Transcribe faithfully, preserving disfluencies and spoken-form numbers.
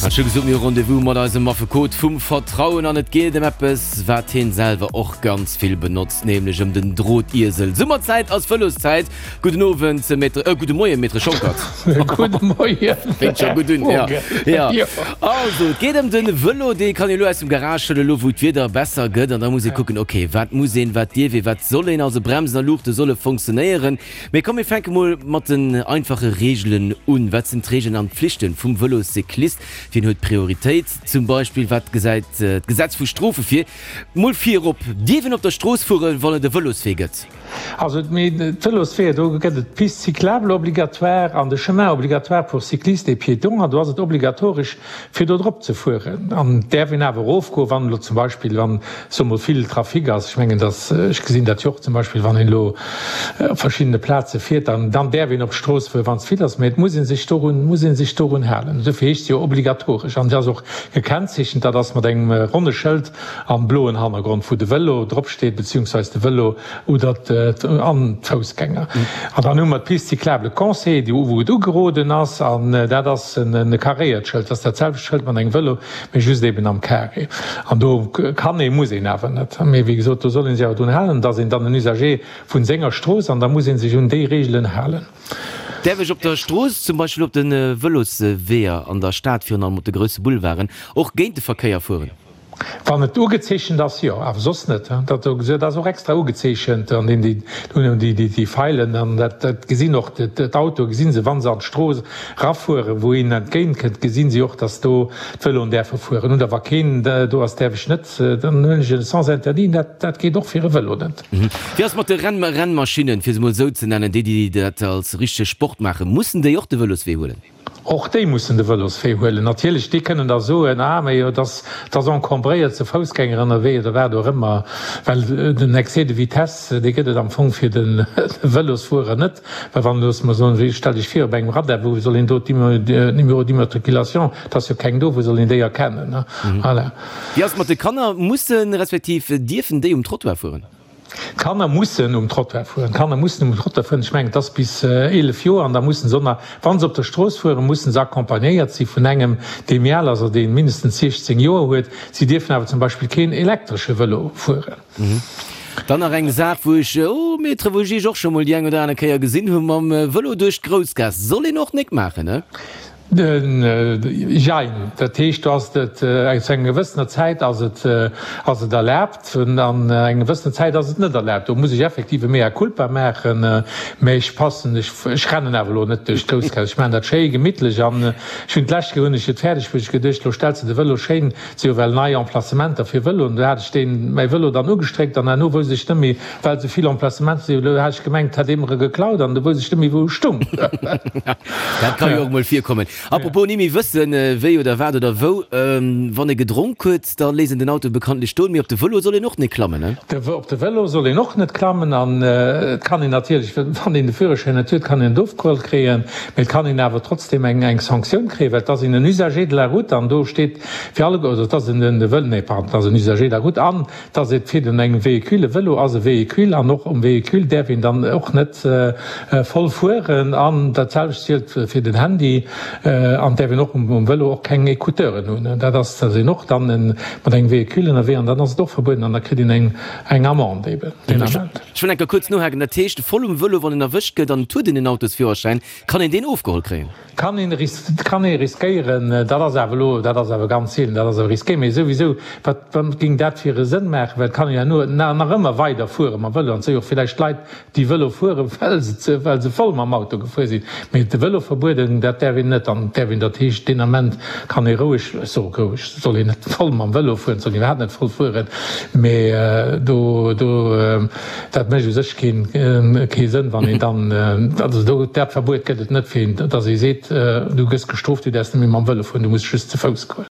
Hat scho gesot, mir hu Rendez-vous mat eisem Affekot vum Vertrauen an et geet ëm eppes, wat hien selwer och ganz vill benotzt, nämlech ëm den Drotiesel. Summerzäit ass Vëloszäit. Gudden Owend, Maître, äh, gudde Moien, Maître Schonckert. Gudde Moien. Fänkt scho gutt un, ja. Ja. Also, et geet ëm de Vëlo, dee kann ee lo aus dem Garage huelen, elo wou d'Wieder besser gëtt. An da muss ee kucken, okay, wat muss een, wat dierf een, wat soll een? Also Bremsen a Luuchte solle fonctionnéieren. Mee komm, mir fänke mol mat den einfache Reegelen un. Wat sinn d'Reegelen an d'Pflichten vum Vëloscyclist? Wien huet Prioritéit? Zum Beispill, wat gesäit d'Gesetz vu Strofe vir? Mol virop, Dierf een op der Strooss fueren, wann et e Vëloswee gëtt? Also d'Vëlosweeër, do gëtt et d'Piste cyclable obligatoire an de Chemin obligatoire pour cyclistes et piétons an do ass et obligatoresch, fir do drop ze fueren. An et däerf een awer erofgoen, wann elo zum Beispill, wann, soe mol, vill Trafic ass. Ech mengen, dass, ech gesinn dat jo och zum Beispill, wann een elo op verschiddene Plaze fiert, dann, dann däerf een op d'Strooss fueren, wann et vill ass, mä et muss ee sech dorun, muss ee sech dorun halen. Dofir heescht se jo obligatoresch an se ass och gekennzeechent, dat ass mat engem ronne Schëld am bloen Hannergrond, wou de Vëlo dropsteet, beziehungsweise de Vëlo oder an d'Foussgänger. An dann hu mer d'Piste cyclable conseillée, déi wou et ugeroden ass, an dat ass en karéiert Schëld, dat ass dat selwecht Schëld mat engem Vëlo, mee just eben am Carré. An do kann een, muss een awer net, mee wéi gesot, do soll ee sech awer drun halen, et ass een dann en Usager vun senger Strooss an da muss ee sech un déi Reegelen halen. Däerf ech op der Strooss, zum Beispill op de Vëlosweeër an der Stad, virun allem op de grousse Boulevarden, och géint de Verkéier fueren? Wann et ugezeechent ass, jo, awer soss net. Dat ass och extra ugezeechent an déi déi Feilen an dat gesinn och d'Autoe gesinn se, wa se an d'Strooss erafueren, wou een entgéint kënnt, gesinn si och, datt do d'Vëloen däerfe fueren. Oder wa keen do ass, däerf ech net, dann huelen ech e Sens interdit. Dat geet och fir e Vëlo net. Wéi ass mat de Rennmaschinnen, fir se mol esou ze nennen, déi déi dat als richtege Sport maachen, mussen déi och de Vëloswee huelen? Och déi mussen de Vëloswee huelen. Natierlech, déi kënnen da soen, ah, mä jo, et ass encombréiert, si Foussgänger ënnerwee oder wat och ëmmer, well den Excès de vitesse, dee gëtt et am Fong fir de Vëlosfuerer net. Well wann, loosse mer soen, wéi, stell dech vir, op engem Radar, wou soll een do d'Numéro d'immatriculation, et ass jo keng do, wou soll een déi erkennen, ne? Voilà. Wéi ass et mat de Kanner? Mussen respektiv dierfen déi um Trottoir fueren? D'Kanner mussen um Trottoir fueren. D'Kanner mussen um Trottoir fueren. Ech mengen, et ass bis eelef Joer an da mussen se och nach, wa se op der Strooss fueren, mussen se accompagnéiert si vun engem, dee méi al ass oder dee mindestens siechzéng Joer huet. Si dierfen awer zum Beispill keen elektresche Vëlo fueren. Dann nach eng Saach, wou ech, oh Maître, wou ech Iech och scho mol déi eng oder aner Kéier gesinn hu mam Vëlo duerch d'Groussgaass. Soll een och nik maachen, ne? Jein. Dat heescht, do ass et zu enger gewëssener Zäit ass et ass et erlaabt an enger gewëssener Zäit ass et net erlaabt. Do muss ech effektiv e Mea culpa maachen, mä ech passen, ech ech rennen awer elo net duerch d'Groussgaass. Ech maachen dat schéi gemittlech an ech hunn d'lescht Kéier hunn ech et fäerdeg bruecht, ech geduecht, elo stells de de Vëlo schéin, et si jo well nei Emplacementer fir Vëloen, do hat ech deen mäi Vëlo dann ugestréckt an herno wousst ech net méi, well esou vill Emplacementer sinn, elo hat ech gemengt, et hätt ee mer e geklaut an du wousst ech net méi wou e stung. Dat ka jo och mol virkommen. Apropos ni méi wëssen, wéi oder wat oder wou, wann ee gedronk huet, da léisst een den Auto bekanntlech stoen, mee op de Vëlo soll een och net klammen, ne? Op de Vëlo soll een och net klammen an et kann een natierlech, wann een de Führerschäin net huet, kann een et ofgeholl kréien, mee et kann een awer trotzdeem eng eng Sanktioun kréien, well et ass een en Usager de la route an do steet fir alleguer, also et ass en de Vëlo, nee pardon, et ass en Usager de la route an et ass et fir den engem Véhicule, e Vëlo ass e Véhicule an och um Véhicule däerf een dann och net voll fueren an dat selwecht zielt fir den Handy an däerf een och um Vëlo och keng Ecouteuren hunn. Dat ass, da sinn och dann mat engem Véhicule ënnerwee an dann ass et och verbueden an da kritt een eng eng Amende eben deen Ament. Ech wëll eng Kéier kuerz nohaken, Dat heescht, voll um Vëlo, wann een erwëscht gëtt an et huet een en Autosführerschäin, kann een deen ofgeholl kréien? Kann een kann ee riskéieren. Dat ass awer elo, dat ass awer ganz seelen, dat ass awer risqué. Mee souwisou, wat wat géing dat fir e Sënn maachen? Well et kann een herno nach ëmmer weider fuere mam Vëlo an et si jo och villäicht Leit, déi Vëlo fueren, well se well se voll mam Auto gefuer sinn. Mee de Vëlo verbueden, dat däerf een net. An däerf een, dat heescht, deen Ament kann ee roueg, ech soe roueg, soll een net voll mam Vëlo fueren, soll een iwwerhaapt net voll fueren, mee do, do, dat mécht u sech keen, kee Sënn, wann een dann, also do, dat Verbuet gëtt et net, fir een, datt ee seet, du gëss gestrooft, du däerfs net méi mam Vëlo fueren, du muss just ze Fouss goen.